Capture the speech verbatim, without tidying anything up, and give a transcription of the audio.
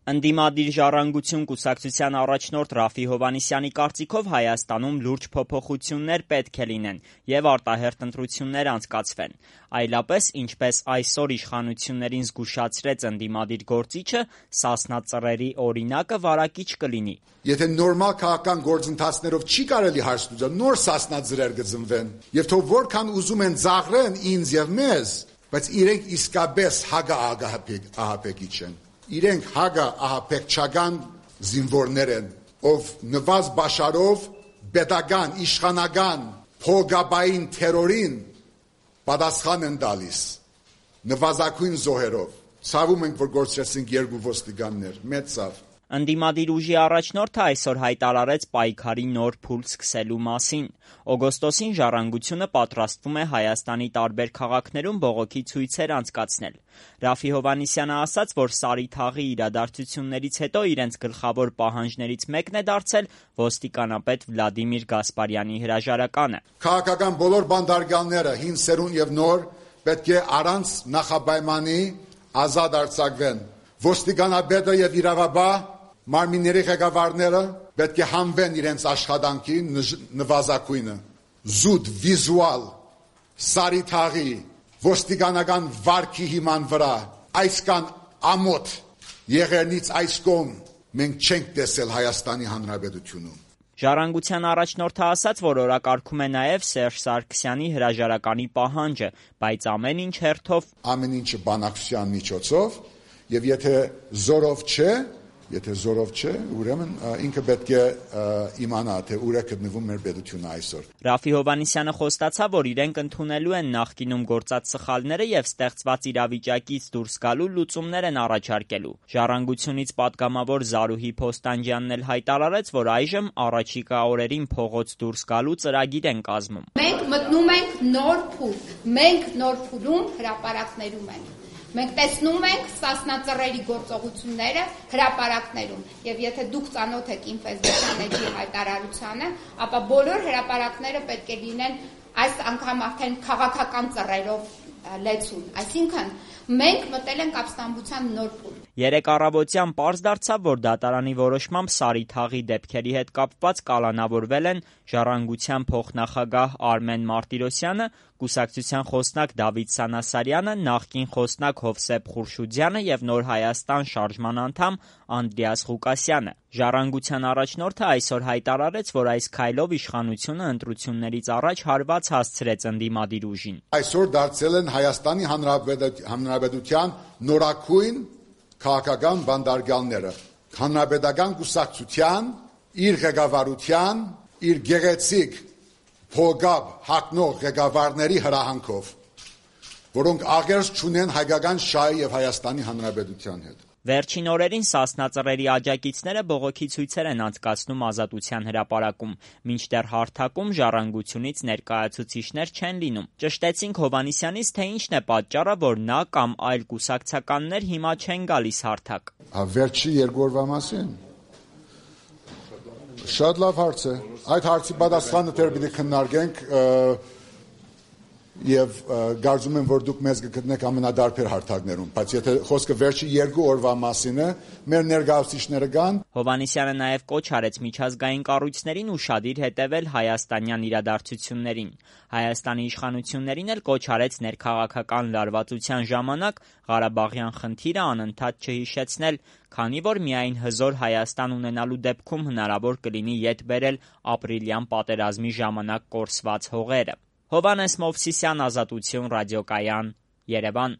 Ընդդիմադիր ժառանգություն կուսակցության առաջնորդ Ռաֆի Հովհաննիսյանի կարծիքով Հայաստանում լուրջ փոփոխություններ պետք է լինեն և արտահերթ ընտրություններ անցկացվեն։ Այլապես, ինչպես այսօր իշխանություններին զգուշացրեց ընդդիմադիր գործիչը, «Սասնա Ծռերի» օրինակը վարակիչ կլինի։ Եթե նորմալ քաղաքական գործընթացներով չի կարելի հարց լուծել, նոր «Սասնա Ծռեր» կծնվեն, և թող որքան ուզում են ձաղրեն ինձ և մեզ, բայց իրենք իսկապես հագա ահապեկիչ են։ Իրենք հագա ահապեկչական զինվորներ են, ով նվազ բաշարով պետական, իշխանական, փողկապային թերորին պատասխան են տալիս, նվազագույն զոհերով։ Ցավում ենք, որ գործեցինք երկու ոստիկաններ, մեծ ցավ։ Ընդդիմադիր ուժի առաջնորդը այսօր հայտարարեց պայքարի նոր փուլ սկսելու մասին։ Օգոստոսին «Ժառանգությունը» պատրաստվում է Հայաստանի տարբեր քաղաքներում բողոքի ցույցեր անցկացնել։ Ռաֆի Հովհաննիսյանը ասաց, որ Սարի թաղի իրադարձություններից հետո իրենց գլխավոր պահանջներից մեկն է դարձել ոստիկանապետ Վլադիմիր Գասպարյանի հրաժարականը։ Քաղաքական բոլոր բանդարգալները, հին սերունդ և նոր, պետք է առանց նախապայմանի ազատ արձակվեն։ Ոստիկանապետը և իրավաբան մարմինների ղեկավարները պետք է հանվեն իրենց աշխատանքի նվազագույնը։ Զուտ վիզուալ Սարի թաղի ոստիկանական վարքի հիման վրա այսքան ամոթ եղերնից այս կողմ մենք չենք տեսել Հայաստանի Հանրապետությունում։ «Ժառանգության» առաջնորդը ասաց, որ օրակարգում է նաև Սերժ Սարգսյանի հրաժարականի պահանջը, բայց ամեն ինչ հերթով։ Ամեն ինչը բանակցության միջոցով, և եթե զորով չէ, եթե զորով չէ, ուրեմն ինքը պետք է իմանա, թե ուր է գտնվում մեր պետությունը այսօր։ Ռաֆի Հովհաննիսյանը խոստացավ, որ իրենք ընդունելու են նախկինում գործած սխալները և ստեղծված իրավիճակից դուրս գալու լուծումներ են առաջարկելու։ «Ժառանգությունից» պատգամավոր Զարուհի Փոստանջյանն էլ հայտարարեց, որ այժմ առաջիկա օրերին փողոց դուրս գալու ծրագիր են կազմում։ Մենք մտնում ենք նոր փուլ, մենք նոր փուլում հրապարակներում ենք։ Մենք տեսնում ենք «Սասնա Ծռերի» գործողությունները հրապարակներում, և եթե դուք ծանոթ եք իմ ֆեյսբուքյան էջի հայտարարությանը, ապա բոլոր հրապարակները պետք է լինեն այս անգամ արդեն քաղաքական ծռերով լեցուն, այսինքն մենք մտել ենք ապստամբության նոր փուլ։ Երեկ առավոտյան պարզ դարձավ, որ դատարանի որոշմամբ Սարի թաղի դեպքերի հետ կապված կալանավորվել են «Ժառանգության» փոխնախագահ Արմեն Մարտիրոսյանը, կուսակցության խոսնակ Դավիթ Սանասարյանը, նախկին խոսնակ Հովսեփ Խուրշուդյանը և Նոր Հայաստան շարժման անդամ Անդրեաս Ղուկասյանը։ «Ժառանգության» առաջնորդը այսօր հայտարարեց, որ այս քայլով իշխանությունը ընտրություններից առաջ հարված հասցրեց ընդդիմադիր ուժին։ Այսօր դարձել են Հայաստանի Հանրապետության նորագույն քաղաքական բանդարգալները, հանրապետական կուսակցության, իր ղեկավարության, իր գեղեցիկ փողկապ հագնող ղեկավարների հրահանգով, որոնք աղերս չունեն հայկական շահի և Հայաստանի Հանրապետության հետ։ Վերջին օրերին «Սասնա Ծռերի» աջակիցները բողոքի ցույցեր են անցկացնում Ազատության հրապարակում, մինչդեռ հարթակում «Ժառանգությունից» ներկայացուցիչներ չեն լինում։ Ճշտեցինք Հովհաննիսյանից, թե ինչն է պատճառը, որ նա կամ այլ կուսակցականներ հիմա չեն գալիս հարթակ։ Վերջի երկու օրվա մասին։ Շատ լավ հարց է։ Այդ հարցի պատասխանը դեռ պիտի քննարկենք և կարծում եմ, որ դուք մեզ կգտնեք ամենադարբեր հարթակներում, բայց եթե խոսքը վերջի երկու օրվա մասին է, մեր ներկայացուցիչները կան։ Հովհաննիսյանը նաև կոչ արեց միջազգային կառույցներին ուշադիր հետևել հայաստանյան իրադարձություններին։ Հայաստանի իշխանություններին էլ կոչ արեց ներքաղաքական լարվածության ժամանակ Ղարաբաղյան խնդիրը անընդհատ չհիշեցնել, քանի որ միայն հզոր Հայաստան ունենալու դեպքում հնարավոր կլինի ետ բերել ապրիլյան պատերազմի ժամանակ կորսված հողերը։ Հովհաննես Մովսիսյան, Ազատություն ռադիոկայան, Երևան։